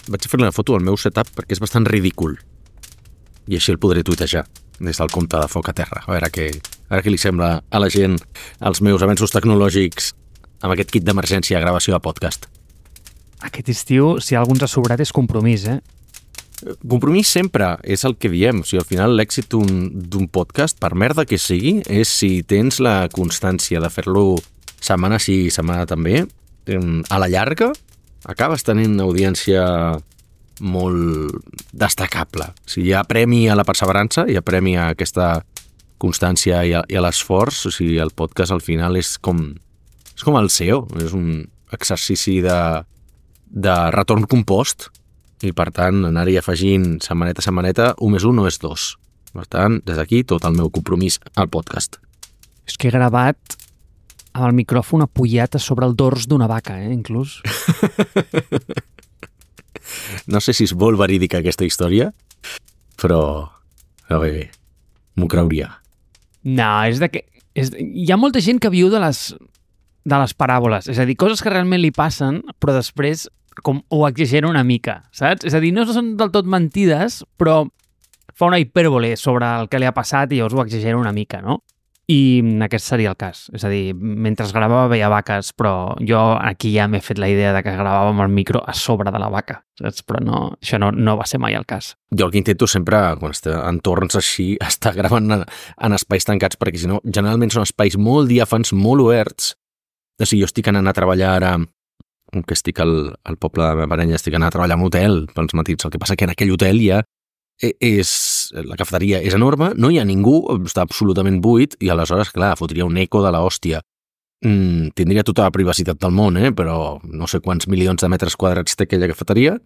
vaig fer una foto al meu setup perquè és bastant ridícul. I així el podré tuitejar des del compte de Foc a Terra. A veure què li sembla a la gent els meus avenços tecnològics amb aquest kit d'emergència de gravació de podcast. Aquest estiu, si algú ens ha sobrat, és compromís, Compromís sempre és el que diem. O sigui, al final l'èxit d'un podcast, per merda que sigui, és si tens la constància de fer-lo setmana sí, setmana també, a la llarga acabes tenint una audiència molt destacable. O sigui, hi ha premi a la perseverança, hi ha premi a aquesta constància i a l'esforç. O sigui, el podcast al final és com el SEO, és un exercici de retorn compost i per tant anar-hi afegint setmaneta a setmaneta, 1 més 1 no és 2. Per tant, des d'aquí tot el meu compromís al podcast. És que he gravat amb el micròfon apujat a sobre el dors d'una vaca, inclús. No sé si és molt verídica aquesta història, però bé, m'ho creuria. No, hi ha molta gent que viu de les paràboles, és a dir, coses que realment li passen, però després com ho exagera una mica, saps? És a dir, no són del tot mentides, però fa una hipèrbole sobre el que li ha passat i llavors ho exagera una mica, no? I aquest seria el cas. És a dir, mentre gravava veia vaques, però jo aquí ja m'he fet la idea de que gravàvem el micro a sobre de la vaca, saps? Però això no va ser mai el cas. Jo el que intento sempre, quan estic en entorns així, estar gravant en espais tancats, perquè si no, generalment són espais molt diàfans, molt oberts. O sigui, jo estic anant a treballar ara, que estic al poble de la meva parella, estic anant a treballar a un hotel pels matins. El que passa que en aquell hotel ja la cafeteria és enorme, no hi ha ningú, està absolutament buit, i aleshores, clar, fotria un eco de l'hòstia. Tindria tota la privacitat del món, però no sé quants milions de metres quadrats té aquella cafeteria,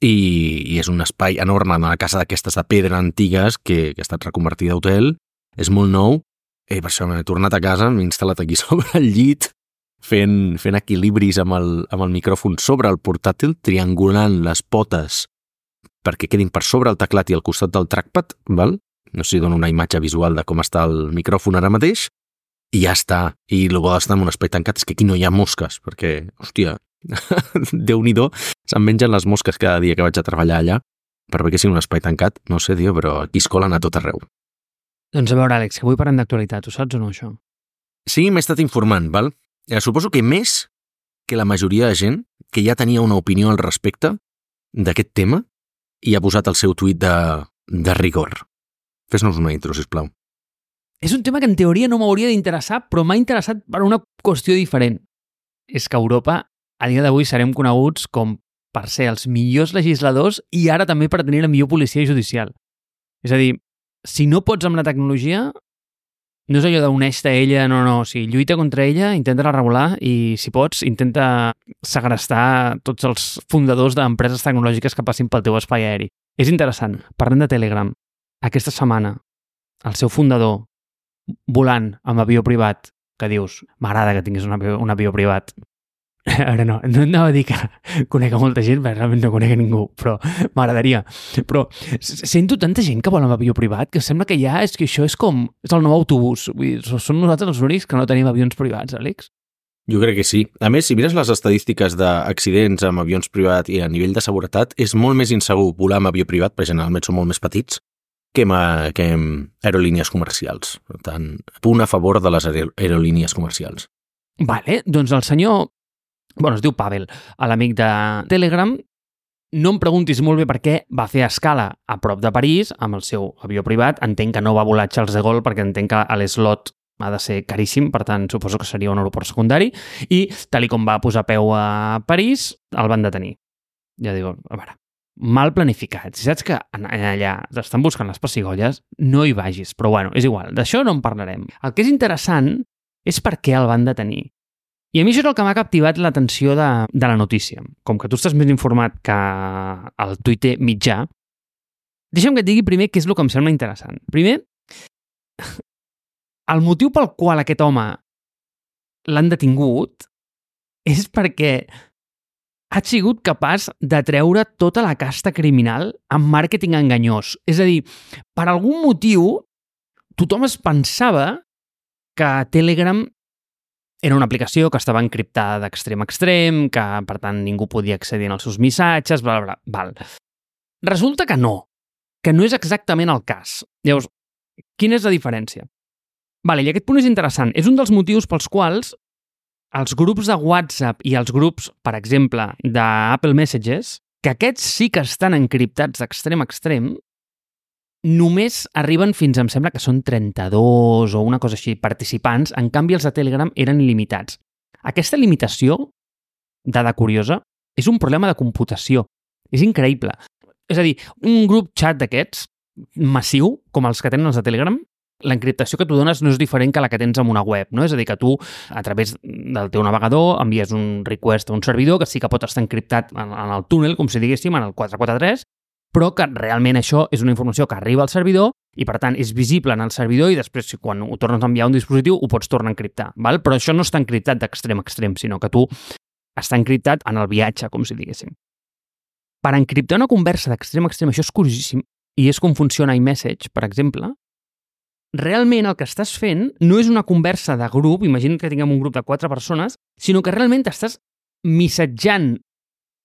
i és un espai enorme, una casa d'aquestes de pedra antigues que ha estat reconvertida a hotel, és molt nou, i per això m'he tornat a casa, m'he instal·lat aquí sobre el llit, fent equilibris amb el micròfon sobre el portàtil, triangulant les potes perquè quedin per sobre el teclat i al costat del trackpad, val? No sé si dono una imatge visual de com està el micròfon ara mateix, i ja està. I el bo d'estar en un espai tancat és que aquí no hi ha mosques, perquè, hòstia, Déu-n'hi-do, se'm mengen les mosques cada dia que vaig a treballar allà, per bé que sigui un espai tancat, no sé, però aquí es colen a tot arreu. Doncs a veure, Àlex, que avui parlem d'actualitat, ho saps o no, això? Sí, m'he estat informant, val? Suposo que més que la majoria de gent que ja tenia una opinió al respecte d'aquest tema i ha posat el seu tuit de rigor. Fes-nos una intro, sisplau. És un tema que en teoria no m'hauria d'interessar, però m'ha interessat per una qüestió diferent. És que a Europa, a dia d'avui, serem coneguts com per ser els millors legisladors i ara també per tenir la millor policia judicial. És a dir, si no pots amb la tecnologia, no és allò d'uneix-te a ella, no, o sigui, lluita contra ella, intenta-la regular i, si pots, intenta segrestar tots els fundadors d'empreses tecnològiques que passin pel teu espai aeri. És interessant. Parlem de Telegram. Aquesta setmana, el seu fundador volant amb avió privat, que dius, m'agrada que tinguis un avió privat. Ara no anava a dir que conec a molta gent, perquè realment no conec a ningú, però m'agradaria. Però sento tanta gent que vol amb avió privat que sembla que ja és que això és el nou autobús. Vull dir, som nosaltres els únics que no tenim avions privats, Àlex? Jo crec que sí. A més, si mires les estadístiques d'accidents amb avions privats i a nivell de seguretat, és molt més insegur volar amb avió privat, perquè generalment són molt més petits, que amb aerolínies comercials. Per tant, punt a favor de les aerolínies comercials. Vale, doncs el senyor, es diu Pavel, l'amic de Telegram, no em preguntis molt bé per què va fer escala a prop de París amb el seu avió privat. Entenc que no va volar Charles de Gaulle perquè entenc que l'eslot ha de ser caríssim, per tant suposo que seria un aeroport secundari, i tal com va posar peu a París, el van detenir. Ja dic, a veure, mal planificat. Si saps que allà estan buscant les pessigolles, no hi vagis, però bueno, és igual, d'això no en parlarem. El que és interessant és per què el van detenir. I a mi això és el que m'ha captivat l'atenció de la notícia. Com que tu estàs més informat que el Twitter mitjà, deixa'm que et digui primer què és el que em sembla interessant. Primer, el motiu pel qual aquest home l'han detingut és perquè ha sigut capaç de treure tota la casta criminal amb màrqueting enganyós. És a dir, per algun motiu, tothom es pensava que Telegram era una aplicació que estava encriptada d'extrem a extrem, que per tant ningú podia accedir als seus missatges, bla, bla, bla. Val. Resulta que no és exactament el cas. Llavors, quina és la diferència? Vale, i aquest punt és interessant. És un dels motius pels quals els grups de WhatsApp i els grups, per exemple, d'Apple Messages, que aquests sí que estan encriptats d'extrem a extrem, només arriben fins, em sembla que són 32 o una cosa així, participants. En canvi, els de Telegram eren il·limitats. Aquesta limitació, dada curiosa, és un problema de computació. És increïble. És a dir, un grup xat d'aquests, massiu, com els que tenen els de Telegram, l'encriptació que tu dones no és diferent que la que tens en una web, no? És a dir, que tu, a través del teu navegador, envies un request a un servidor que sí que pot estar encriptat en el túnel, com si diguéssim, en el 443, però que realment això és una informació que arriba al servidor i, per tant, és visible en el servidor i després, quan ho tornes a enviar a un dispositiu, ho pots tornar a encriptar, val? Però això no està encriptat d'extrem a extrem, sinó que tu està encriptat en el viatge, com si diguéssim. Per encriptar una conversa d'extrem a extrem, això és curiosíssim, i és com funciona iMessage, per exemple. Realment el que estàs fent no és una conversa de grup, imagina que tinguem un grup de 4 persones, sinó que realment estàs missatjant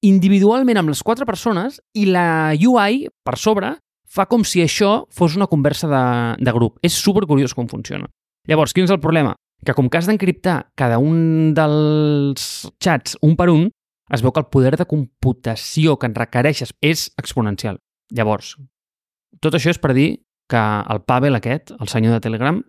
individualment amb les 4 persones i la UI, per sobre, fa com si això fos una conversa de grup. És supercuriós com funciona. Llavors, quin és el problema? Que com que has d'encriptar cada un dels xats un per un, es veu que el poder de computació que en requereixes és exponencial. Llavors, tot això és per dir que el Pavel aquest, el senyor de Telegram,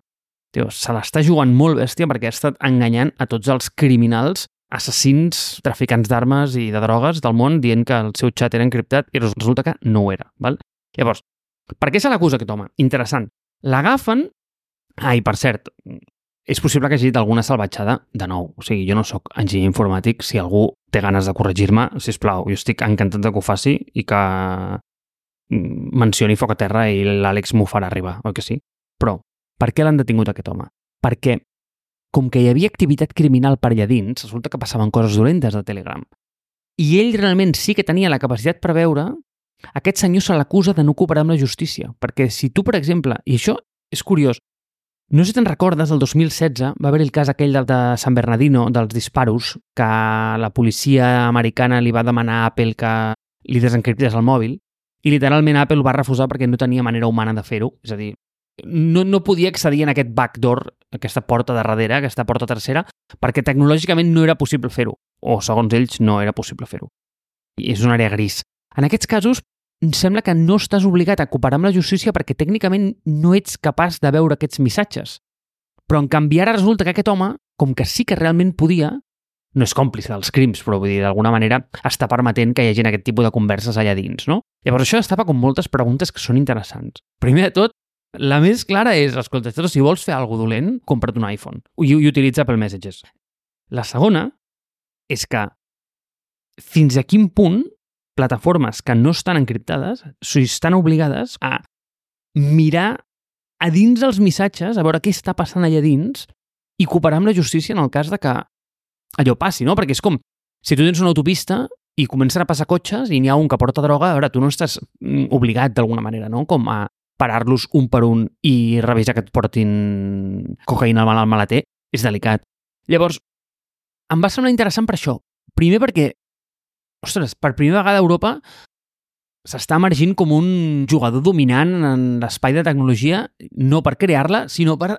se l'està jugant molt bèstia perquè ha estat enganyant a tots els criminals, assassins, traficants d'armes i de drogues del món dient que el seu xat era encriptat i resulta que no ho era. Val? Llavors, per què se l'acusa aquest home? Interessant. L'agafen... I per cert, és possible que hagi dit alguna salvatjada de nou. O sigui, jo no sóc enginyer informàtic. Si algú té ganes de corregir-me, sisplau, jo estic encantat que ho faci i que mencioni foc a terra i l'Àlex m'ho farà arribar, oi que sí? Però, per què l'han detingut aquest home? Perquè, com que hi havia activitat criminal per allà dins, resulta que passaven coses dolentes a Telegram. I ell realment sí que tenia la capacitat per veure, aquest senyor se l'acusa de no cooperar amb la justícia. Perquè si tu, per exemple, i això és curiós, no sé si te'n recordes, el 2016 va haver el cas aquell de San Bernardino, dels disparos, que la policia americana li va demanar a Apple que li desencriptés el mòbil, i literalment Apple ho va refusar perquè no tenia manera humana de fer-ho. És a dir, no podia accedir en aquest backdoor, aquesta porta de darrere, aquesta porta tercera, perquè tecnològicament no era possible fer-ho, o segons ells no era possible fer-ho. I és una àrea gris. En aquests casos, em sembla que no estàs obligat a cooperar amb la justícia perquè tècnicament no ets capaç de veure aquests missatges. Però en canvi ara resulta que aquest home, com que sí que realment podia, no és còmplice dels crims, però vull dir, d'alguna manera està permetent que hi hagi aquest tipus de converses allà dins, no? Llavors això destapa com moltes preguntes que són interessants. Primer de tot, la més clara és, escolta, si vols fer alguna cosa dolent, compra't un iPhone i utilitza Apple Messages. La segona és que fins a quin punt plataformes que no estan encriptades estan obligades a mirar a dins dels missatges, a veure què està passant allà dins i cooperar amb la justícia en el cas de que allò passi, no? Perquè és com si tu tens una autopista i comencen a passar cotxes i n'hi ha un que porta droga, a veure, tu no estàs obligat d'alguna manera, no? Com a parar-los un per un i revisar que et portin cocaïna al maleter, és delicat. Llavors, em va semblar interessant per això. Primer perquè, ostres, per primera vegada a Europa s'està emergint com un jugador dominant en l'espai de tecnologia, no per crear-la, sinó per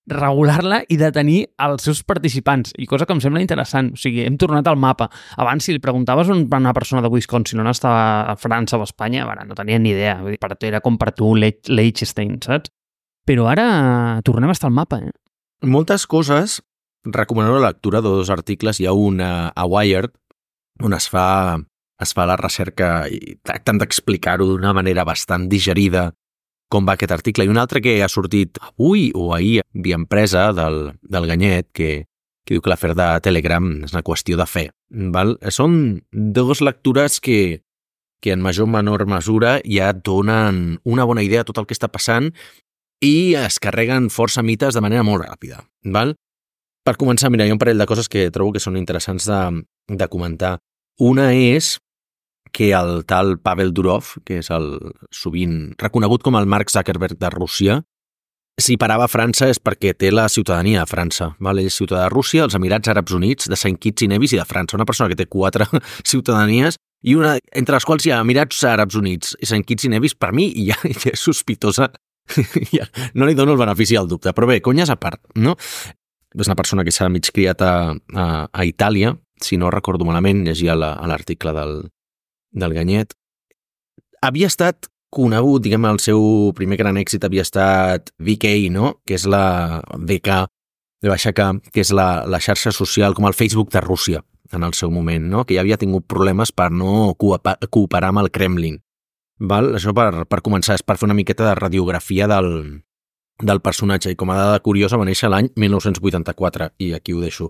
regular-la i detenir els seus participants, i cosa que em sembla interessant. O sigui, hem tornat al mapa. Abans, si li preguntaves a una persona de Wisconsin on estava a França o a Espanya, no tenia ni idea. Per tu era com per tu Liechtenstein, saps? Però ara tornem a estar al mapa, eh? Moltes coses, recomano la lectura de 2 articles. Hi ha un a Wired, on es fa la recerca i tracten d'explicar-ho d'una manera bastant digerida com va aquest article, i un altre que ha sortit avui o ahir via empresa del Ganyet, que diu que l'afer de Telegram és una qüestió de fe. Val? Són 2 lectures que en major o menor mesura ja et donen una bona idea de tot el que està passant i es carreguen força mites de manera molt ràpida. Val? Per començar, mira, hi ha un parell de coses que trobo que són interessants de comentar. Una és que el tal Pavel Durov, que és el sovint reconegut com el Mark Zuckerberg de Rússia, si parava a França és perquè té la ciutadania de França. Val? Ell és ciutadà de Rússia, els Emirats Àrabs Units, de Saint Kitts i Nevis i de França. Una persona que té 4 ciutadanies i una entre les quals hi ha Emirats Àrabs Units i Saint Kitts i Nevis, per mi ja és sospitosa. Ja, no li dono el benefici del dubte. Però bé, conyes a part, no? És una persona que s'ha mig criat a Itàlia, si no recordo malament, llegia l'article del Ganyet. Havia estat conegut, diguem, el seu primer gran èxit havia estat VK, no? Que és la VK, que és la xarxa social, com el Facebook de Rússia, en el seu moment, no? Que ja havia tingut problemes per no cooperar amb el Kremlin. Val? Això per començar, és per fer una miqueta de radiografia del personatge, i com a dada curiosa va néixer l'any 1984, i aquí ho deixo.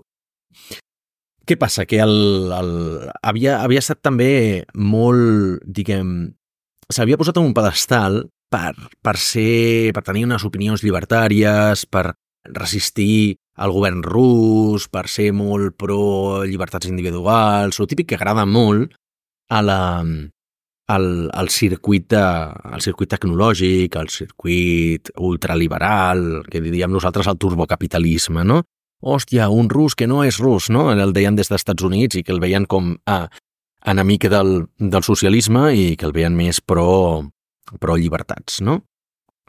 Què passa? Que havia estat també molt, diguem, s'havia posat en un pedestal per tenir unes opinions llibertàries, per resistir al govern rus, per ser molt pro llibertats individuals, el típic que agrada molt al circuit tecnològic, al circuit ultraliberal, que diríem nosaltres el turbocapitalisme, no? Hòstia, un rus que no és rus, no? El deien des dels Estats Units i que el veien com enemic del socialisme i que el veien més pro llibertats, no?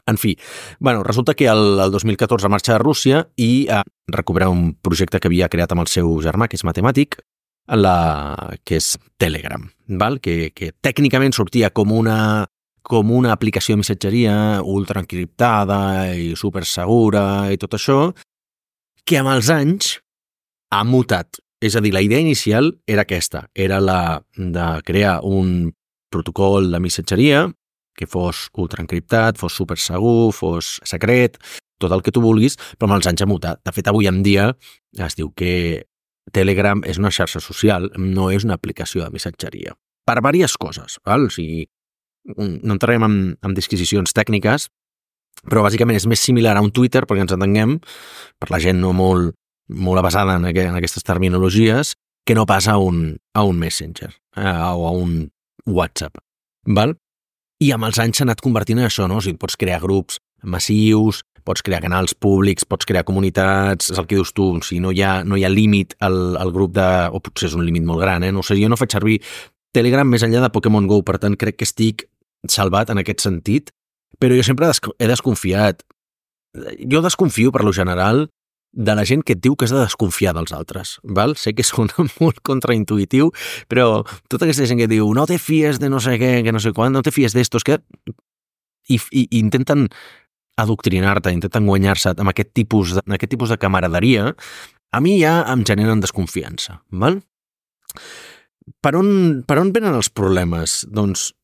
En fi, bueno, resulta que el 2014 marxa a Rússia i recupera un projecte que havia creat amb el seu germà, que és matemàtic, que és Telegram, val? Que tècnicament sortia com una aplicació de missatgeria ultraencriptada i supersegura i tot això, que amb els anys ha mutat. És a dir, la idea inicial era aquesta, era la de crear un protocol de missatgeria que fos ultraencriptat, fos supersegur, fos secret, tot el que tu vulguis, però amb els anys ha mutat. De fet, avui en dia es diu que Telegram és una xarxa social, no és una aplicació de missatgeria. Per diverses coses, val? O sigui, no entrarem en disquisicions tècniques, però bàsicament és més similar a un Twitter, perquè ens entenguem, per la gent no molt avasada en aquestes terminologies, que no passa a un Messenger o a un WhatsApp. Val? I amb els anys s'ha anat convertint en això, no? O sigui, pots crear grups massius, pots crear canals públics, pots crear comunitats, és el que dius tu, o sigui, no hi ha límit al grup o potser és un límit molt gran, no sé, jo no faig servir Telegram més enllà de Pokémon GO, per tant crec que estic salvat en aquest sentit, però jo sempre he desconfiat. Jo desconfio, per lo general, de la gent que et diu que has de desconfiar dels altres, val? Sé que és molt contraintuitiu, però tota aquesta gent que diu no te fies de no sé què, que no sé quan, no te fies d'estos, que... I intenten adoctrinar-te, intenten guanyar-se amb aquest tipus de camaraderia, a mi ja em generen desconfiança, val? Per on venen els problemes? Doncs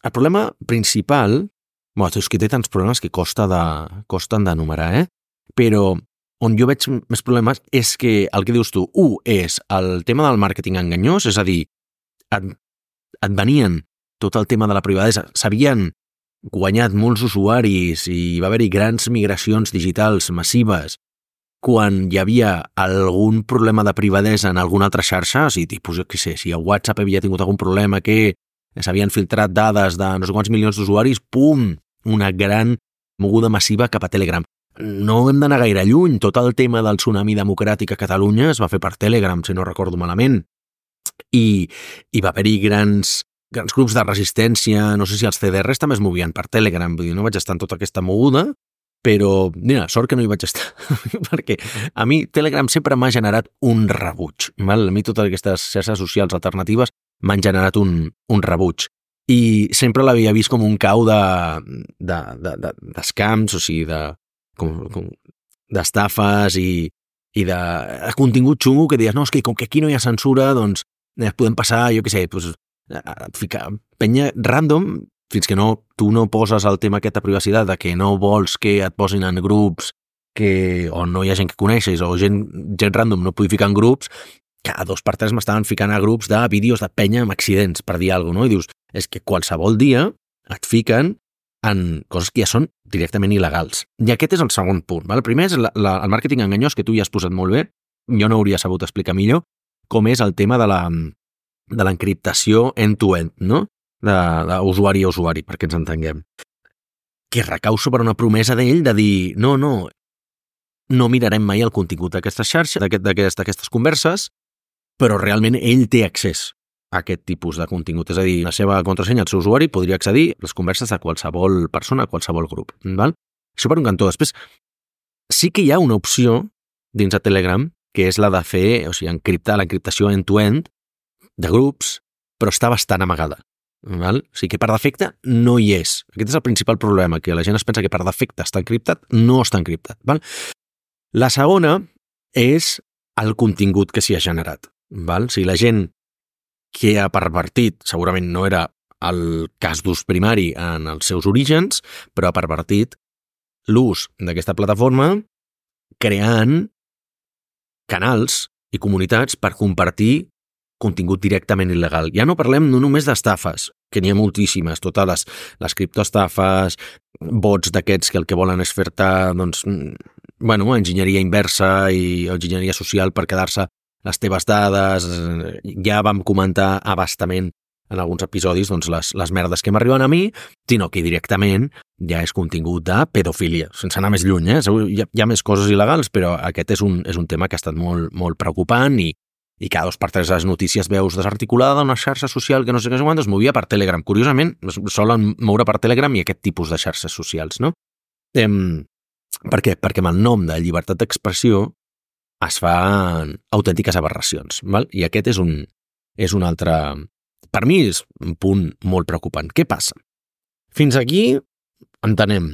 el problema principal... Bueno, és que té tants problemes que costen d'enumerar, però on jo veig més problemes és que el que dius tu, és el tema del màrqueting enganyós, és a dir, et venien tot el tema de la privadesa, s'havien guanyat molts usuaris i va haver-hi grans migracions digitals massives quan hi havia algun problema de privadesa en alguna altra xarxa, o sigui, tipus, jo què sé, si a WhatsApp havia tingut algun problema que s'havien filtrat dades de no sé quants milions d'usuaris, pum, una gran moguda massiva cap a Telegram. No hem d'anar gaire lluny, tot el tema del tsunami democràtic a Catalunya es va fer per Telegram, si no recordo malament, i va haver-hi grans grups de resistència, no sé si els CDRs també es movien per Telegram, vull dir, no vaig estar en tota aquesta moguda, però, mira, sort que no hi vaig estar, perquè a mi Telegram sempre m'ha generat un rebuig, val? A mi totes aquestes xarxes socials alternatives m'han generat un rebuig. I sempre l'havia vist com un cau d'escams, o sigui, d'estafes i de contingut xungo que deies, no, és que com que aquí no hi ha censura, doncs podem passar, jo què sé, ficar penya random, fins que tu no poses el tema aquesta privacitat de que no vols que et posin en grups on no hi ha gent que coneixes o gent random no pugui ficar en grups, cada 2 per 3 m'estaven ficant a grups de vídeos de penya amb accidents, per dir alguna cosa, no? I dius, és que qualsevol dia et fiquen en coses que ja són directament il·legals. I aquest és el segon punt. Val? El primer és el màrqueting enganyós, que tu ja has posat molt bé, jo no hauria sabut explicar millor, com és el tema de l'encriptació end-to-end, no? D'usuari a usuari, perquè ens entenguem. que recau sobre una promesa d'ell de dir no mirarem mai el contingut d'aquestes xarxes, d'aquestes converses, però realment ell té accés a aquest tipus de contingut. És a dir, la seva contrasenya, el seu usuari, podria accedir a les converses de qualsevol persona, a qualsevol grup. Val? Això per un cantó. Després, sí que hi ha una opció dins de Telegram, que és la de fer, encriptar l'encriptació end-to-end de grups, però està bastant amagada. Val? O sigui que per defecte no hi és. Aquest és el principal problema, que la gent es pensa que per defecte està encriptat, no està encriptat. Val? La segona és el contingut que s'hi ha generat. Val? O sigui, la gent que ha pervertit, segurament no era el cas d'ús primari en els seus orígens, però ha pervertit l'ús d'aquesta plataforma creant canals i comunitats per compartir contingut directament il·legal. Ja no parlem només d'estafes, que n'hi ha moltíssimes, totes les criptoestafes, bots d'aquests que el que volen és fer-te, enginyeria inversa i enginyeria social per quedar-se les teves dades. Ja vam comentar abastament en alguns episodis les merdes que m'arriben a mi, sinó que directament ja és contingut de pedofília, sense anar més lluny. Hi ha més coses il·legals, però aquest és un tema que ha estat molt, molt preocupant i cada 2 per 3 les notícies veus desarticulada d'una xarxa social que no sé què quant es movia per Telegram. Curiosament, solen moure per Telegram i aquest tipus de xarxes socials, no? Per què? Perquè amb el nom de llibertat d'expressió es fan autèntiques aberracions, val? I aquest és un altre... Per mi és un punt molt preocupant. Què passa? Fins aquí entenem.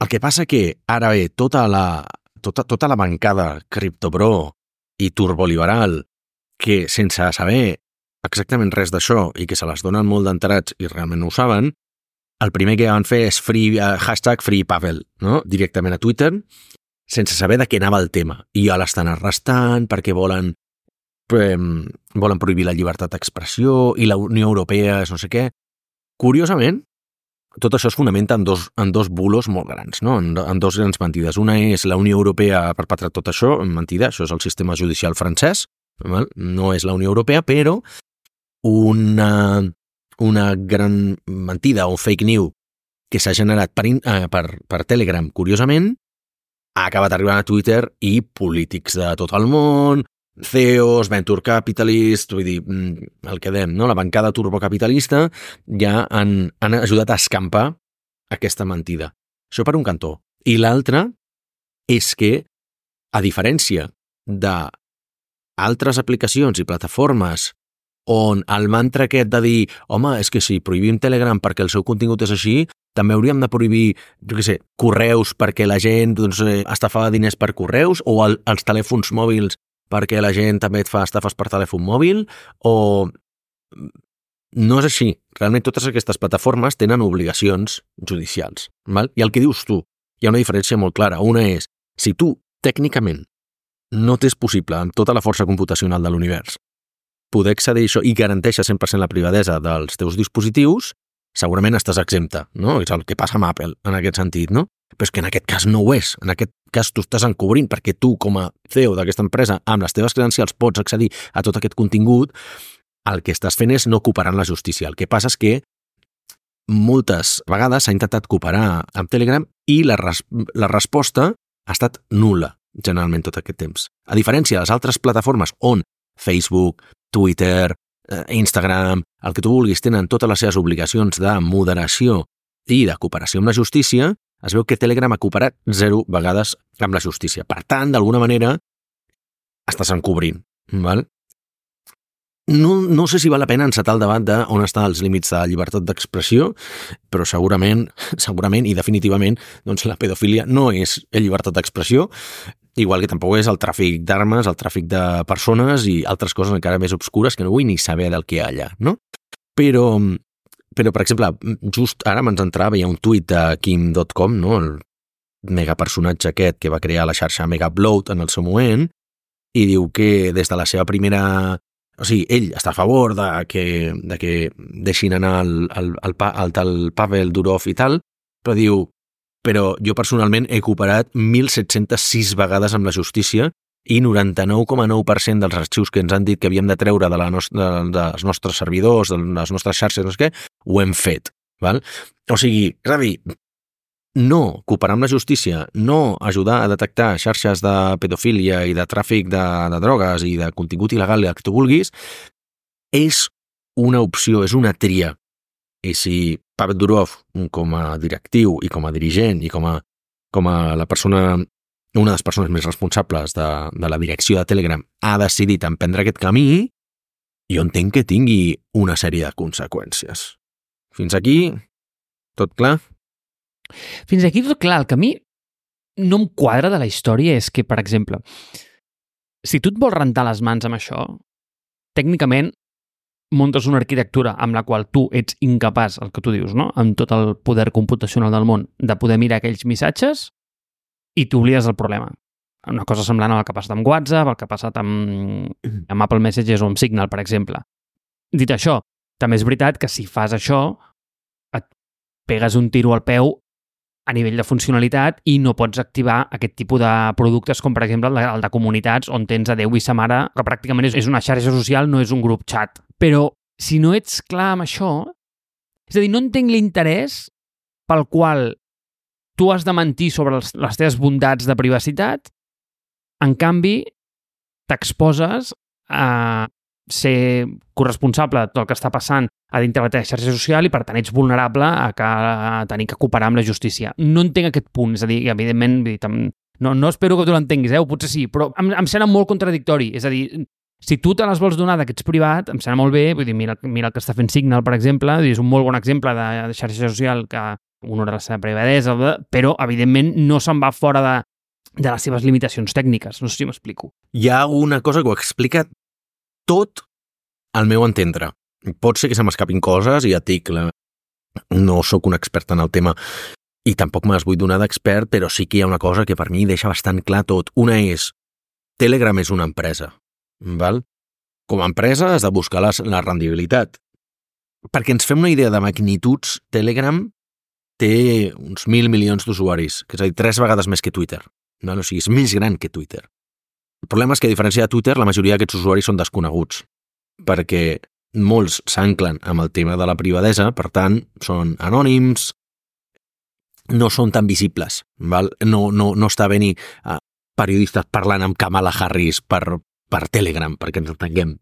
El que passa que ara ve tota la bancada criptobro i turboliberal que, sense saber exactament res d'això i que se les donen molt d'enterats i realment no ho saben, el primer que van fer és hashtag Free Pavel, no? Directament a Twitter, sense saber de què anava el tema. I ja l'estan arrestant perquè volen prohibir la llibertat d'expressió i la Unió Europea és no sé què. Curiosament, tot això es fonamenta en dos bulos molt grans, no? En 2 grans mentides. Una és la Unió Europea ha perpetrat tot això, mentida, això és el sistema judicial francès, no és la Unió Europea, però una gran mentida o fake news que s'ha generat per Telegram, curiosament, ha acabat arribant a Twitter i polítics de tot el món, CEOs, venture capitalists, vull dir, el que dèiem, no? La bancada turbocapitalista ja han ajudat a escampar aquesta mentida. Això per un cantó. I l'altre és que, a diferència d'altres aplicacions i plataformes on el mantra aquest de dir home, és que si prohibim Telegram perquè el seu contingut és així, també hauríem de prohibir, correus perquè la gent estafava diners per correus, o els telèfons mòbils perquè la gent també et fa estafes per telèfon mòbil, o... No és així. Realment totes aquestes plataformes tenen obligacions judicials. Val? I el que dius tu, hi ha una diferència molt clara. Una és, si tu, tècnicament, no t'és possible, amb tota la força computacional de l'univers, poder accedir a això i garanteixes 100% la privadesa dels teus dispositius, segurament estàs exempta, no? És el que passa amb Apple, en aquest sentit, no? Però és que en aquest cas no ho és. En aquest cas tu estàs encobrint perquè tu, com a CEO d'aquesta empresa, amb les teves credencials pots accedir a tot aquest contingut. El que estàs fent és no cooperar amb la justícia. El que passa és que moltes vegades s'ha intentat cooperar amb Telegram i la resposta ha estat nul·la, generalment, tot aquest temps. A diferència de les altres plataformes on Facebook, Twitter, Instagram, el que tu vulguis, tenen totes les seves obligacions de moderació i de cooperació amb la justícia, es veu que Telegram ha cooperat 0 vegades amb la justícia. Per tant, d'alguna manera, estàs encobrint. Val? No sé si val la pena encetar el debat d'on estan els límits de llibertat d'expressió, però segurament i definitivament la pedofília no és llibertat d'expressió, igual que tampoc és el tràfic d'armes, el tràfic de persones i altres coses encara més obscures que no vull ni saber del que hi ha allà, no? Però, per exemple, just ara m'ens entrava, hi ha un tuit de Kim.com, no? El megapersonatge aquest que va crear la xarxa Megabloat en el seu moment, i diu que des de la seva primera... O sigui, ell està a favor de que deixin anar el tal Pavel Durov i tal, però diu, però jo personalment he cooperat 1.706 vegades amb la justícia i 99,9% dels arxius que ens han dit que havíem de treure dels nostres servidors, de les nostres xarxes, no sé què, ho hem fet. Val? O sigui, és a dir, no cooperar amb la justícia, no ajudar a detectar xarxes de pedofília i de tràfic de drogues i de contingut il·legal i el que tu vulguis, és una opció, és una tria. I si Pavel Durov, com a directiu i com a dirigent i com a la persona, una de les persones més responsables de la direcció de Telegram, ha decidit emprendre aquest camí, jo entenc que tingui una sèrie de conseqüències. Fins aquí, tot clar? Fins aquí tot clar. El que a mi no em quadra de la història és que, per exemple, si tu et vols rentar les mans amb això, tècnicament muntes una arquitectura amb la qual tu ets incapaç, el que tu dius, no? Amb tot el poder computacional del món, de poder mirar aquells missatges i t'oblides del problema. Una cosa semblant al que ha passat amb WhatsApp, el que ha passat amb Apple Messages o amb Signal, per exemple. Dit això, també és veritat que si fas això et pegues un tiro al peu a nivell de funcionalitat i no pots activar aquest tipus de productes com, per exemple, el de comunitats on tens a Déu i sa mare, que pràcticament és una xarxa social, no és un grup chat. Però si no ets clar amb això, és a dir, no entenc l'interès pel qual tu has de mentir sobre les teves bondats de privacitat, en canvi, t'exposes a ser corresponsable de tot el que està passant a dintre de la teva xarxa social i, per tant, ets vulnerable a tenir que cooperar amb la justícia. No entenc aquest punt, és a dir, evidentment, no espero que tu l'entenguis, o potser sí, però em sembla molt contradictori. És a dir, si tu te les vols donar que ets privat, em sembla molt bé, vull dir, mira el que està fent Signal, per exemple, és un molt bon exemple de xarxa social que honora la seva privadesa, però, evidentment, no se'n va fora de les seves limitacions tècniques. No sé si m'explico. Hi ha una cosa que ho explica tot al meu entendre. Pot ser que se m'escapin coses i ja et dic, no sóc un expert en el tema i tampoc me les vull donar d'expert, però sí que hi ha una cosa que per mi deixa bastant clar tot. Una és, Telegram és una empresa, val? Com a empresa has de buscar la rendibilitat. Perquè ens fem una idea de magnituds, Telegram té uns 1.000 milions d'usuaris, que és a dir, 3 vegades més que Twitter. Val? O sigui, és més gran que Twitter. El problema és que, a diferència de Twitter, la majoria d'aquests usuaris són desconeguts, perquè molts s'anclen amb el tema de la privadesa, per tant, són anònims, no són tan visibles, val? No està venint periodistes parlant amb Kamala Harris per Telegram, perquè ens entenguem,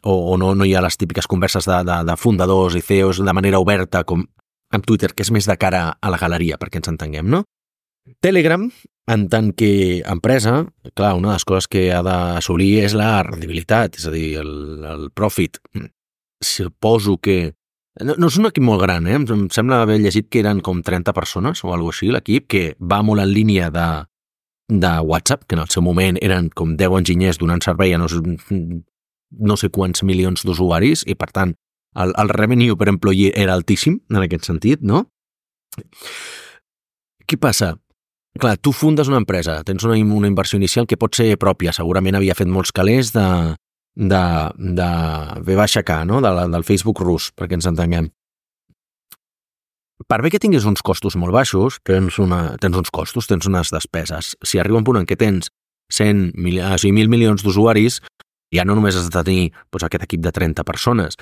o no hi ha les típiques converses de fundadors i CEOs de manera oberta, com amb Twitter, que és més de cara a la galeria, perquè ens entenguem, no? Telegram, en tant que empresa, clar, una de les coses que ha d'assolir és la rendibilitat, és a dir, el profit. Suposo que... No és un equip molt gran, em sembla haver llegit que eren com 30 persones o alguna cosa així, l'equip, que va molt en línia de WhatsApp, que en el seu moment eren com 10 enginyers donant servei a no sé quants milions d'usuaris, i per tant, el revenue per employee era altíssim, en aquest sentit, no? Què passa? Clar, tu fundes una empresa, tens una inversió inicial que pot ser pròpia, segurament havia fet molts calés de V-K, no? Del Facebook rus, perquè ens entenguem. Per bé que tinguis uns costos molt baixos, tens uns costos, tens unes despeses. Si arriba un punt en què tens 1.000 milions d'usuaris, ja no només has de tenir aquest equip de 30 persones,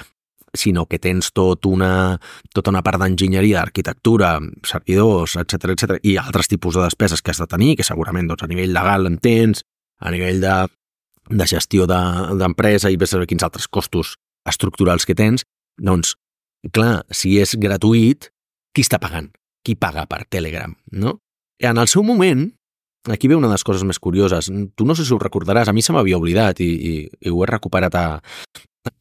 sinó que tens tota una part d'enginyeria, d'arquitectura, servidors, etc i altres tipus de despeses que has de tenir, que segurament a nivell legal en tens, a nivell de gestió d'empresa i saber quins altres costos estructurals que tens, doncs, clar, si és gratuït, qui està pagant? Qui paga per Telegram, no? En el seu moment, aquí ve una de les coses més curioses, tu no sé si ho recordaràs, a mi se m'havia oblidat i ho he recuperat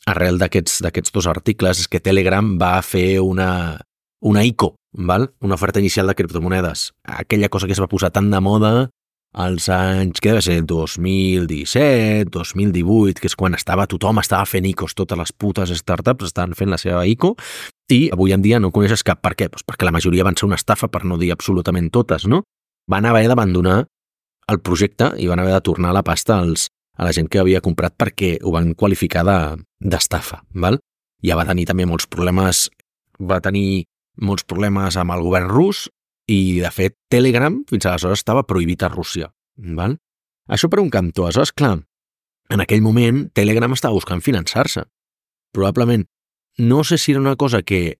arrel d'aquests 2 articles, és que Telegram va fer una ICO, val? Una oferta inicial de criptomonedes. Aquella cosa que es va posar tan de moda als anys, que deve ser 2017, 2018, que és quan tothom estava fent ICOs, totes les putes startups estaven fent la seva ICO, i avui en dia no coneixes cap. Per què? Doncs perquè la majoria van ser una estafa, per no dir absolutament totes, no? Van haver d'abandonar el projecte i van haver de tornar la pasta a la gent que havia comprat perquè ho van qualificar d'estafa, val? Ja va tenir també molts problemes amb el govern rus i, de fet, Telegram fins aleshores estava prohibit a Rússia, val? Això per un cantó. Aleshores, clar, en aquell moment Telegram estava buscant finançar-se. Probablement, no sé si era una cosa que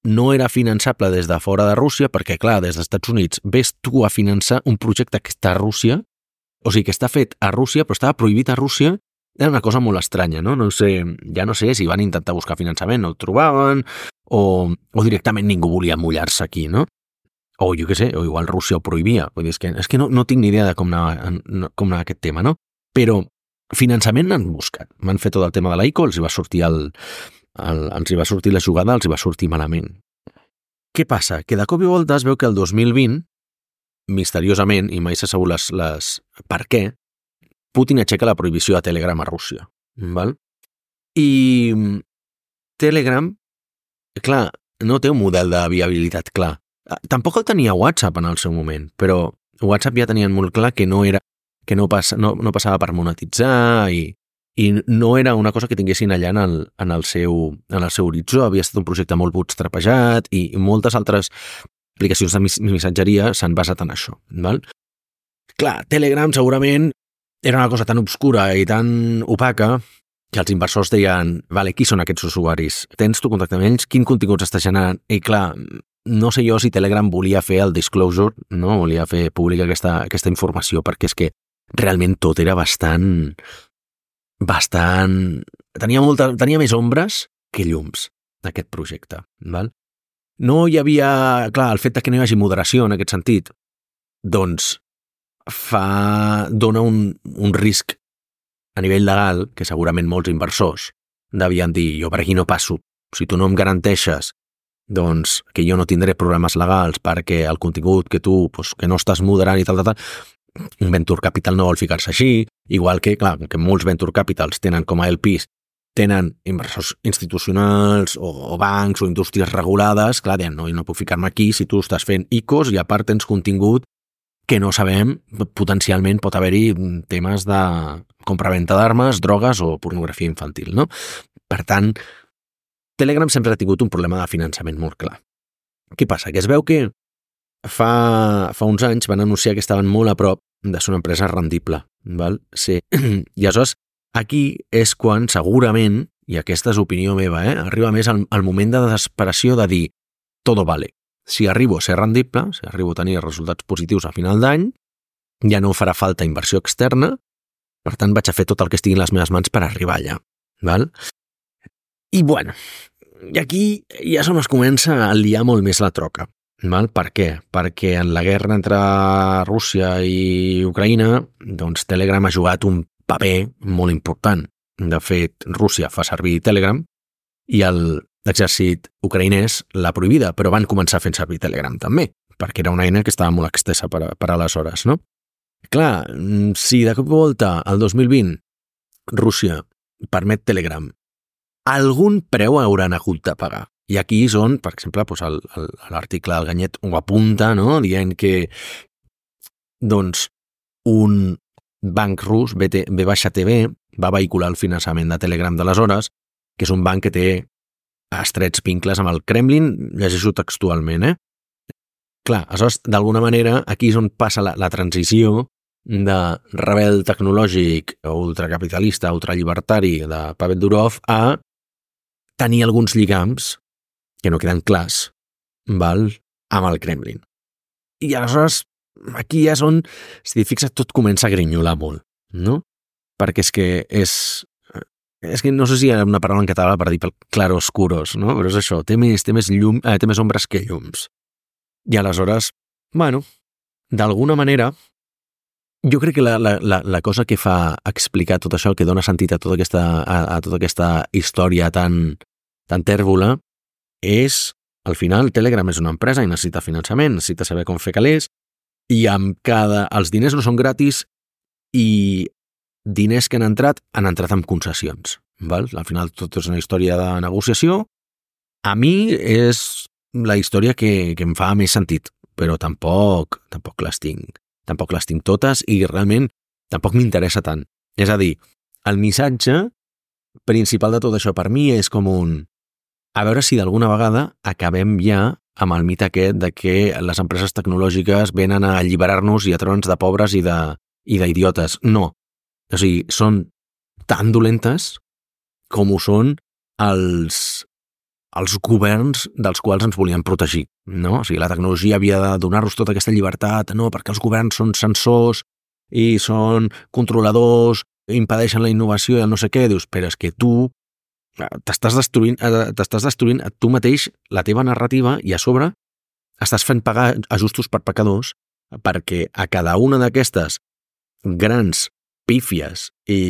no era finançable des de fora de Rússia, perquè, clar, des dels Estats Units ves tu a finançar un projecte que està a Rússia, o sigui, que està fet a Rússia, però estava prohibit a Rússia, era una cosa molt estranya, no? Ja no sé si van intentar buscar finançament, no el trobaven, o directament ningú volia mullar-se aquí, no? O jo què sé, o igual Rússia ho prohibia. Vull dir, és que no tinc ni idea de com anava aquest tema, no? Però finançament n'han buscat. M'han fet tot el tema de l'ICO, els hi va sortir ens hi va sortir la jugada, els hi va sortir malament. Què passa? Que de cop i volta es veu que el 2020, misteriosament, i mai se sabut per què, Putin aixeca la prohibició de Telegram a Rússia. Val? I Telegram, clar, no té un model de viabilitat clar. Tampoc el tenia WhatsApp en el seu moment, però WhatsApp ja tenien molt clar que no passava per monetitzar i no era una cosa que tinguessin allà en el seu horitzó. Havia estat un projecte molt bootstrapejat i moltes altres aplicacions de missatgeria s'han basat en això. Val? Clar, Telegram segurament era una cosa tan obscura i tan opaca que els inversors deien, vale, qui són aquests usuaris? Tens tu contacte amb ells? Quin contingut està generant? I clar, no sé jo si Telegram volia fer el disclosure, no? Volia fer pública aquesta informació, perquè és que realment tot era bastant... Tenia més ombres que llums, aquest projecte. Val? No hi havia... Clar, el fet que no hi hagi moderació en aquest sentit, doncs dona un risc a nivell legal que segurament molts inversors devien dir, jo per aquí no passo. Si tu no em garanteixes doncs que jo no tindré problemes legals perquè el contingut que tu, que no estàs moderant i tal, un venture capital no vol ficar-se així, igual que, clar, que molts venture capitals tenen com a LPs, tenen inversors institucionals o bancs o indústries regulades, clar, deien, no, jo no puc ficar-me aquí si tu estàs fent ICOs i a part tens contingut que no sabem, potencialment pot haver-hi temes de compra-venta d'armes, drogues o pornografia infantil, no? Per tant, Telegram sempre ha tingut un problema de finançament molt clar. Què passa? Que es veu que fa uns anys van anunciar que estaven molt a prop de ser una empresa rendible. Val? Sí. I aleshores, aquí és quan segurament, i aquesta és opinió meva, arriba més el moment de desesperació de dir todo vale. Si arribo a ser rendible, si arribo a tenir resultats positius a final d'any, ja no farà falta inversió externa, per tant vaig a fer tot el que estigui en les meves mans per arribar allà. Val? I bueno, i aquí ja se es comença a liar molt més la troca. Val? Per què? Perquè en la guerra entre Rússia i Ucraïna, doncs Telegram ha jugat un paper molt important. De fet, Rússia fa servir Telegram i l'exèrcit ucraïnès l'ha prohibida, però van començar fent servir Telegram també, perquè era una eina que estava molt extensa per aleshores, no? Clar, si de cop i volta, el 2020, Rússia permet Telegram, algun preu hauran hagut de pagar. I aquí és on, per exemple, l'article del Ganyet ho apunta, no? Dient que doncs, un banc rus, BTB, va vehicular el finançament de Telegram d'aleshores, que és un banc que té estrets vincles amb el Kremlin, llegeixo textualment, Clar, aleshores, d'alguna manera, aquí és on passa la transició de rebel tecnològic, ultracapitalista, ultrallibertari de Pavel Durov a tenir alguns lligams que no queden clars, val, amb el Kremlin. I aleshores, aquí ja és on, si t'hi fixes, tot comença a grinyolar molt, no? Perquè és que no sé si hi ha una paraula en català per dir claroscuros, no? Però és això, té més ombres que llums. I aleshores, bueno, d'alguna manera, jo crec que la cosa que fa explicar tot això, que dona sentit a tota aquesta història tan tèrbola, és, al final, Telegram és una empresa i necessita finançament, necessita saber com fer calés, i els diners no són gratis i diners que han entrat amb concessions. Val? Al final, tot és una història de negociació. A mi és la història que em fa més sentit, però tampoc les tinc totes i realment tampoc m'interessa tant. És a dir, el missatge principal de tot això per mi és com a veure si d'alguna vegada acabem ja amb el mite aquest de que les empreses tecnològiques venen a alliberar-nos i a treure'ns de pobres i d'idiotes. No. O sigui, són tan dolentes com ho són els els governs dels quals ens volien protegir, no? O sigui, la tecnologia havia de donar-nos tota aquesta llibertat, no, perquè els governs són censors i són controladors, impedeixen la innovació i el no sé què. Dius, però és que tu t'estàs destruint a tu mateix la teva narrativa i a sobre estàs fent pagar a justos per pecadors perquè a cada una d'aquestes grans pífies i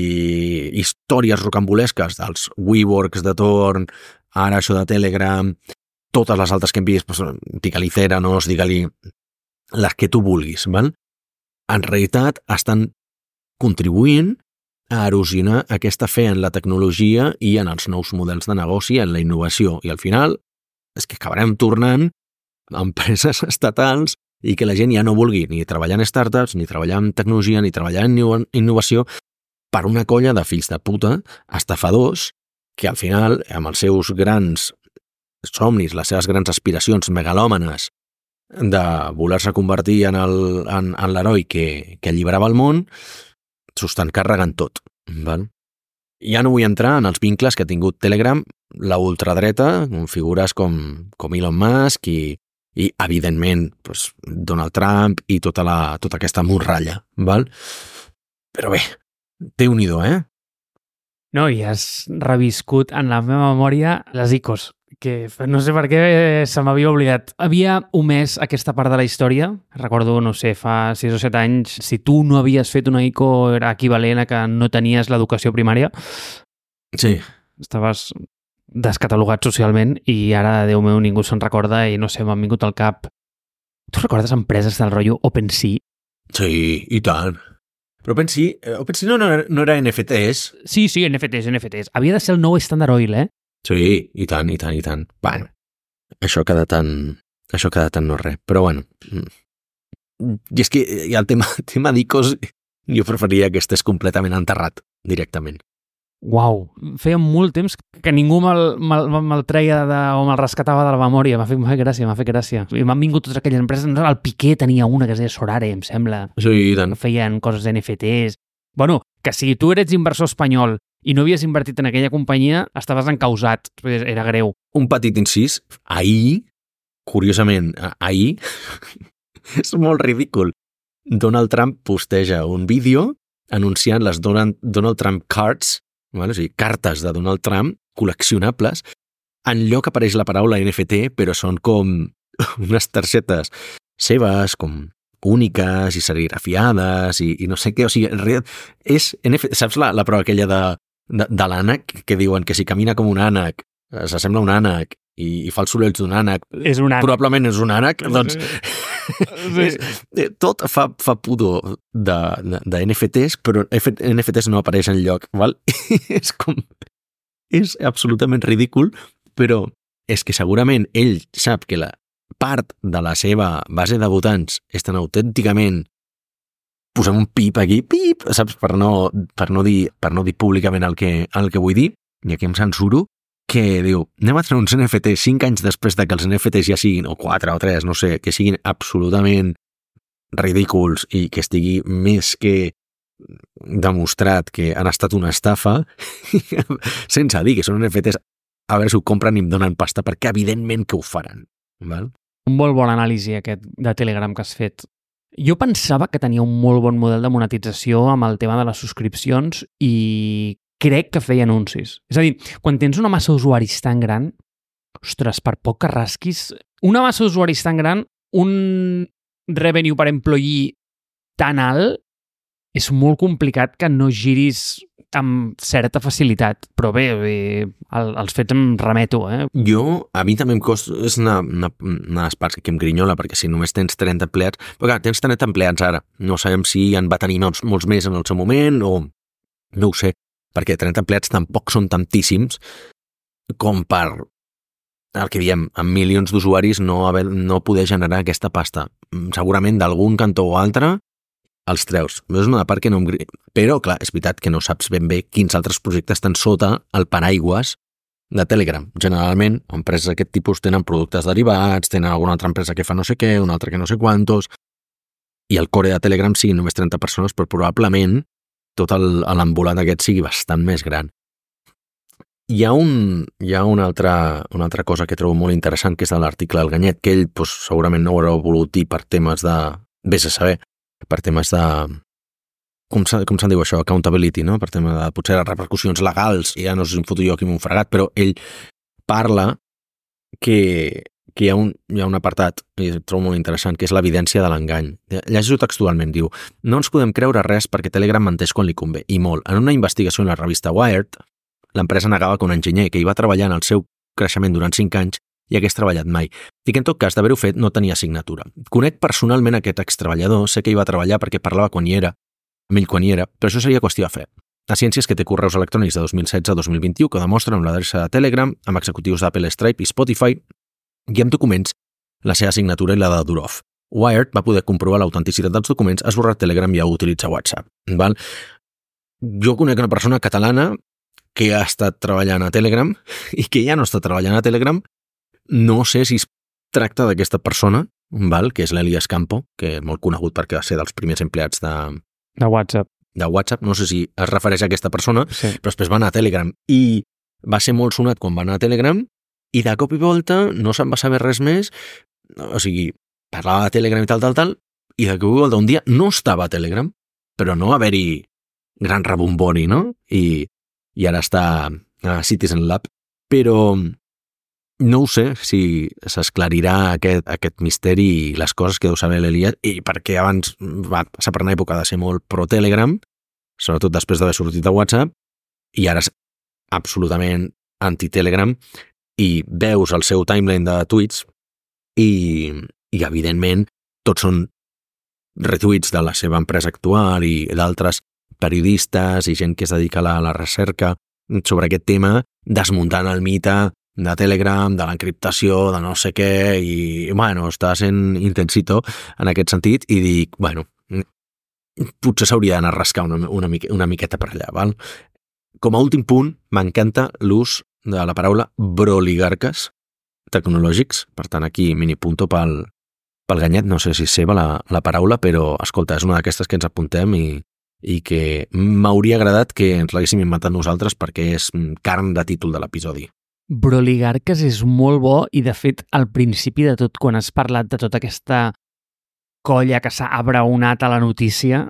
històries rocambolesques dels WeWorks de torn, ara això de Telegram, totes les altres que hem vist, digue-li Theranos, digue-li les que tu vulguis, val? En realitat estan contribuint a erosionar aquesta fe en la tecnologia i en els nous models de negoci, en la innovació. I al final és que acabarem tornant a empreses estatals i que la gent ja no vulgui ni treballar en startups, ni treballar en tecnologia, ni treballar en innovació per una colla de fills de puta, estafadors, que al final, amb els seus grans somnis, les seves grans aspiracions megalòmanes de voler-se convertir en l'heroi que alliberava el món, s'ho estan carregant tot. Val? Ja no vull entrar en els vincles que ha tingut Telegram, la ultradreta, amb figures com Elon Musk i evidentment, Donald Trump i tota aquesta morralla. Val? Però bé, Déu-n'hi-do, No, i has reviscut en la meva memòria les ICOs, que no sé per què se m'havia oblidat. Havia omès aquesta part de la història. Recordo, no sé, fa 6 o 7 anys, si tu no havies fet una ICO era equivalent a que no tenies l'educació primària. Sí. Estaves descatalogat socialment i ara, Déu meu, ningú se'n recorda i no sé, m'han vingut al cap. Tu recordes empreses del rotllo OpenSea? Sí, i tant. Però OpenSea no era NFTs? Sí, NFTs. Havia de ser el nou Standard Oil, Sí, i tant. Bueno, això ha quedat en no res. Però bueno, i és que ja el tema d'ICOs jo preferiria que estés completament enterrat directament. Uau, feia molt temps que ningú me'l treia o me'l rescatava de la memòria. M'ha fet gràcia. I m'han vingut totes aquelles empreses. El Piqué tenia una que es deia Sorare, em sembla. Sí, i tant. Feien coses NFTs. Bueno, que si tu eres inversor espanyol i no havies invertit en aquella companyia, estaves encausat. Era greu. Un petit incís. Curiosament, és molt ridícul. Donald Trump posteja un vídeo anunciant les Donald Trump Cards, o sigui, cartes de Donald Trump col·leccionables. Enlloc apareix la paraula NFT, però són com unes targetes seves, com úniques i serigrafiades i no sé què. O sigui, en realitat és NFT. Saps la prova aquella de l'ànec, que diuen que si camina com un ànec s'assembla a un ànec i fa els sorolls d'un ànec, és un ànec. Probablement és un ànec, doncs sí. Tot fa pudor de NFTs, però NFTs no apareix enlloc, val? És absolutament ridícul, però és que segurament ell sap que la part de la seva base de votants és tan autènticament, posem un pip aquí, pip, saps, per no dir públicament el que vull dir, i aquí em censuro, que diu, anem a treure uns NFTs 5 anys després de que els NFTs ja siguin, o 4 o 3, no sé, que siguin absolutament ridículs i que estigui més que demostrat que han estat una estafa, sense dir que són NFTs, a veure si ho compren i em donen pasta, perquè evidentment que ho faran. Val? Un molt bon anàlisi aquest de Telegram que has fet. Jo pensava que tenia un molt bon model de monetització amb el tema de les subscripcions i crec que feia anuncis. És a dir, quan tens una massa d'usuaris tan gran, ostres, per poc que rasquis, una massa d'usuaris tan gran, un revenue per employee tan alt, és molt complicat que no giris amb certa facilitat. Però bé, els fets em remeto, A mi també em costa, és una de les parts que em grinyola, perquè si només tens 30 empleats, però clar, tens 30 empleats ara, no sabem si en va tenir molts més en el seu moment o no ho sé, perquè 30 empleats tampoc són tantíssims com per, el que diem, amb milions d'usuaris no poder generar aquesta pasta. Segurament d'algun cantó o altre els treus. És una part que no em... Però, clar, és veritat que no saps ben bé quins altres projectes estan sota el paraigües de Telegram. Generalment, empreses d'aquest tipus tenen productes derivats, tenen alguna altra empresa que fa no sé què, una altra que no sé quantos, i el core de Telegram siguin només 30 persones, però probablement tot l'embolat aquest sigui bastant més gran. Hi ha una altra cosa que trobo molt interessant, que és de l'article del Ganyet, que ell segurament no ho haurà volut dir per temes de, vés a saber, per temes de, com se'n diu això, accountability, no? Per tema de potser les repercussions legals, ja no sé si em foto jo aquí amb un fregat, però ell parla que hi ha un apartat, i trobo molt interessant, que és l'evidència de l'engany. Llegeixo textualment, diu: no ens podem creure res perquè Telegram menteix quan li convé, i molt. En una investigació en la revista Wired, l'empresa negava que un enginyer que hi va treballar en el seu creixement durant 5 anys hi hagués treballat mai, i que en tot cas d'haver-ho fet no tenia signatura. Conec personalment aquest extreballador, sé que hi va treballar perquè parlava amb ell quan hi era, però això seria qüestió de fe. La ciència és que té correus electrònics de 2016 a 2021 que demostren amb l'adreça de Telegram, amb executius d'Apple, Stripe i Spotify, i amb documents la seva signatura i la de Durov. Wired va poder comprovar l'autenticitat dels documents, ha esborrat Telegram i ha utilitzat WhatsApp. Val? Jo conec una persona catalana que ha estat treballant a Telegram i que ja no està treballant a Telegram. No sé si es tracta d'aquesta persona, val? Que és l'Elias Campo, que és molt conegut perquè va ser dels primers empleats de WhatsApp. De WhatsApp, no sé si es refereix a aquesta persona, sí. Però després va anar a Telegram i va ser molt sonat quan va anar a Telegram i de cop i volta no se'n va saber res més, o sigui, parlava de Telegram i tal, i de cop i volta un dia no estava a Telegram, però no va haver-hi gran rebombori, no? I ara està a Citizen Lab, però no ho sé si s'esclarirà aquest misteri i les coses que deu saber l'Elias, i perquè abans va passar per una època de ser molt pro-Telegram, sobretot després d'haver sortit de WhatsApp, i ara és absolutament anti-Telegram, i veus el seu timeline de tuits i evidentment tots són retuits de la seva empresa actual i d'altres periodistes i gent que es dedica a la recerca sobre aquest tema, desmuntant el mite de Telegram, de l'encriptació, de no sé què, i bueno, està sent intensito en aquest sentit, i dic, bueno, potser s'hauria d'anar a rascar una miqueta per allà, val? Com a últim punt, m'encanta l'ús de la paraula broligarques tecnològics, per tant aquí minipunto pel Ganyet, no sé si és seva la paraula, però escolta, és una d'aquestes que ens apuntem i que m'hauria agradat que ens l'haguéssim inventat nosaltres perquè és carn de títol de l'episodi. Broligarques és molt bo i, de fet, al principi de tot, quan has parlat de tota aquesta colla que s'ha abraonat a la notícia,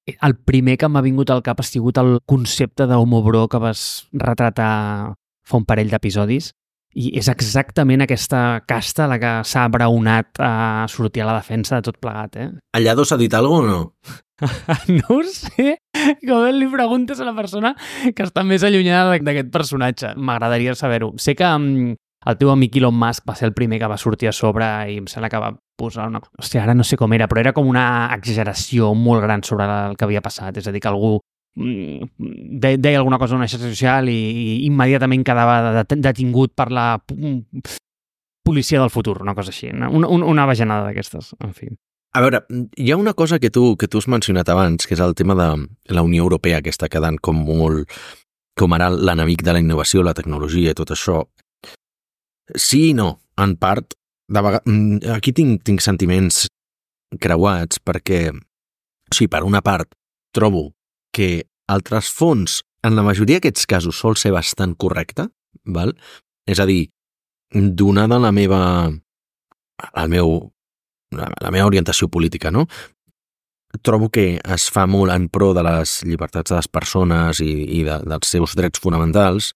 el primer que m'ha vingut al cap ha sigut el concepte d'homo bro que vas retratar fa un parell d'episodis, i és exactament aquesta casta la que s'ha abraonat a sortir a la defensa de tot plegat, eh? Allado s'ha dit alguna cosa o no? No ho sé, com li preguntes a la persona que està més allunyada d'aquest personatge. M'agradaria saber-ho. Sé que el teu amic Elon Musk va ser el primer que va sortir a sobre i em sembla que va posar una... Hòstia, ara no sé com era, però era com una exageració molt gran sobre el que havia passat. És a dir, que algú deia alguna cosa en una xarxa social i immediatament quedava detingut per la policia del futur, una cosa així. Una bajanada d'aquestes, en fi. A veure, hi ha una cosa que tu has mencionat abans, que és el tema de la Unió Europea, que està quedant com molt... com ara l'enemic de la innovació, la tecnologia i tot això. Sí i no, en part. Aquí tinc sentiments creuats perquè, sí, per una part, trobo que el trasfons, en la majoria d'aquests casos, sol ser bastant correcte, val? És a dir, donada la meva orientació política, no? Trobo que es fa molt en pro de les llibertats de les persones i dels seus drets fonamentals.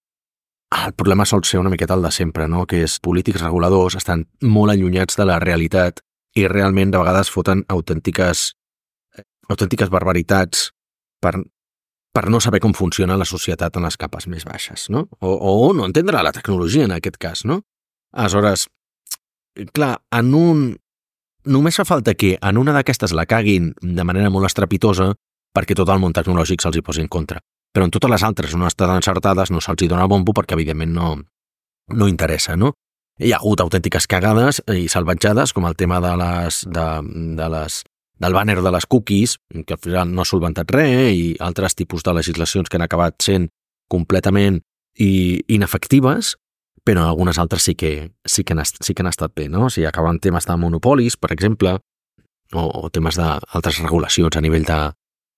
El problema sol ser una miqueta el de sempre, no? Que és polítics reguladors estan molt allunyats de la realitat i realment de vegades foten autèntiques barbaritats per no saber com funciona la societat en les capes més baixes, no? O no entendre la tecnologia en aquest cas, no? Aleshores, clar, només fa falta que en una d'aquestes la caguin de manera molt estrepitosa perquè tot el món tecnològic se'ls hi posi en contra. Però en totes les altres on estan encertades no se'ls hi dona bombo perquè evidentment no interessa, no? Hi ha hagut autèntiques cagades i salvatjades com el tema del banner de les cookies, que al final no ha solventat res, i altres tipus de legislacions que han acabat sent completament inefectives, però algunes altres sí que han estat bé, no? O sigui, acaben temes de monopolis, per exemple, o temes d'altres regulacions a nivell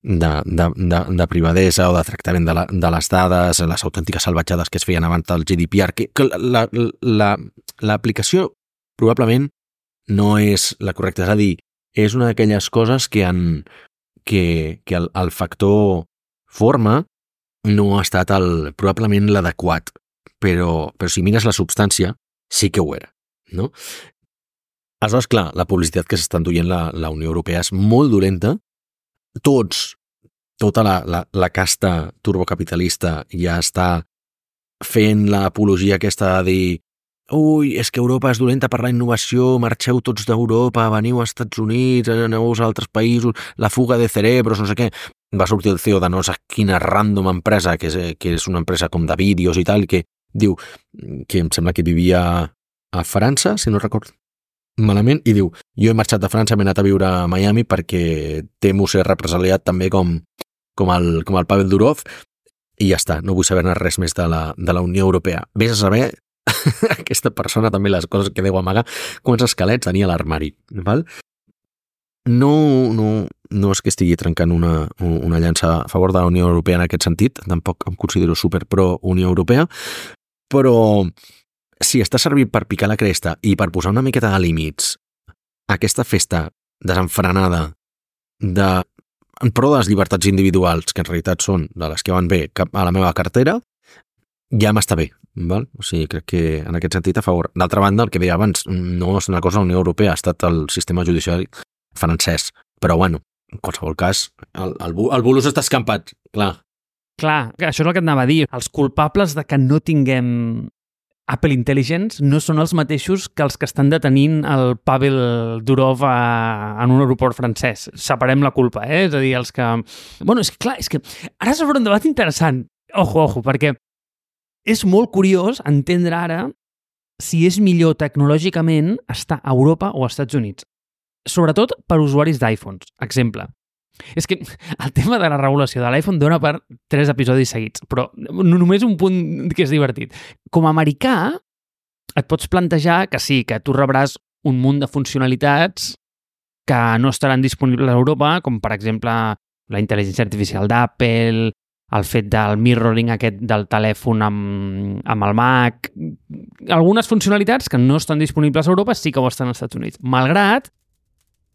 de privadesa o de tractament de les dades, les autèntiques salvatjades que es feien abans del GDPR, que l'aplicació probablement no és la correcta, és a dir, és una d'aquelles coses que el factor forma no ha estat probablement l'adequat, però si mires la substància, sí que ho era, no? Aleshores, clar, la publicitat que s'està enduient la Unió Europea és molt dolenta. Tota la casta turbocapitalista ja està fent l'apologia aquesta de dir ui, és que Europa és dolenta per la innovació, marxeu tots d'Europa, veniu als Estats Units, aneu als altres països, la fuga de cerebros, no sé què. Va sortir el CEO de no sé quina random empresa, que és una empresa com de vídeos i tal, que diu que em sembla que vivia a França, si no recordo malament, i diu, jo he marxat de França, m'he anat a viure a Miami perquè temo ser represaliat també com el Pavel Durov, i ja està, no vull saber res més de la Unió Europea. Vés a saber aquesta persona també les coses que deu amagar, quants esquelets tenia a l'armari, val? No és que estigui trencant una llança a favor de la Unió Europea en aquest sentit, tampoc em considero super pro Unió Europea, però si està servint per picar la cresta i per posar una miqueta de límits a aquesta festa desenfrenada en pro de les llibertats individuals, que en realitat són de les que van bé cap a la meva cartera, ja m'està bé, val? O sigui, crec que en aquest sentit a favor. D'altra banda, el que deia abans, no és una cosa de la Unió Europea, ha estat el sistema judicial francès, però bueno, en qualsevol cas, el bulus està escampat, clar. Clar, això és el que et anava a dir. Els culpables de que no tinguem Apple Intelligence no són els mateixos que els que estan detenint el Pavel Durov en un aeroport francès. Separem la culpa, És a dir, els que... Bueno, és que clar, és que ara s'obre un debat interessant. Ojo, perquè és molt curiós entendre ara si és millor tecnològicament estar a Europa o als Estats Units. Sobretot per usuaris d'iPhones. Exemple. És que el tema de la regulació de l'iPhone dona per 3 episodis seguits, però només un punt que és divertit. Com a americà, et pots plantejar que sí, que tu rebràs un munt de funcionalitats que no estaran disponibles a Europa, com per exemple la intel·ligència artificial d'Apple, el fet del mirroring aquest del telèfon amb el Mac... Algunes funcionalitats que no estan disponibles a Europa sí que ho estan als Estats Units. Malgrat,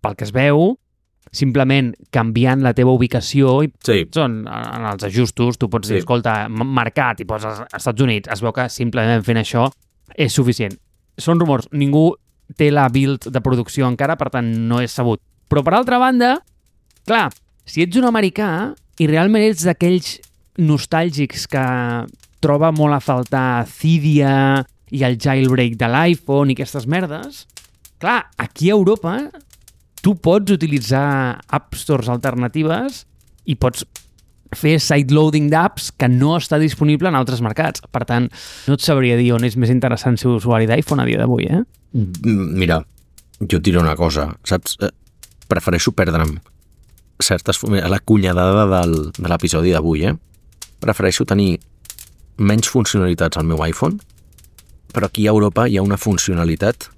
pel que es veu, simplement canviant la teva ubicació i en els ajustos tu pots dir, escolta, marcat i poses als Estats Units, es veu que simplement fent això és suficient. Són rumors, ningú té la build de producció encara, per tant no és sabut. Però per altra banda, clar, si ets un americà i realment ets d'aquells nostàlgics que troba molt a faltar Cydia i el jailbreak de l'iPhone i aquestes merdes, clar, aquí a Europa tu pots utilitzar App Stores alternatives i pots fer sideloading d'apps que no està disponible en altres mercats. Per tant, no et sabria dir on és més interessant ser usuari d'iPhone a dia d'avui, Mira, jo et diré una cosa, saps? Prefereixo perdre'm la cunyadada de l'episodi d'avui, Prefereixo tenir menys funcionalitats al meu iPhone, però aquí a Europa hi ha una funcionalitat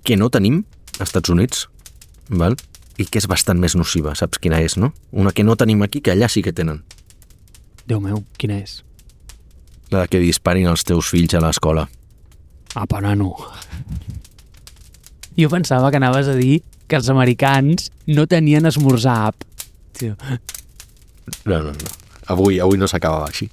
que no tenim als Estats Units, val? I que és bastant més nociva, saps quina és, no? Una que no tenim aquí, que allà sí que tenen. Déu meu, quina és? La de que disparin els teus fills a l'escola. Apa, nano. Jo pensava que anaves a dir que els americans no tenien esmorzar app. Tio. No. Avui no s'acabava així.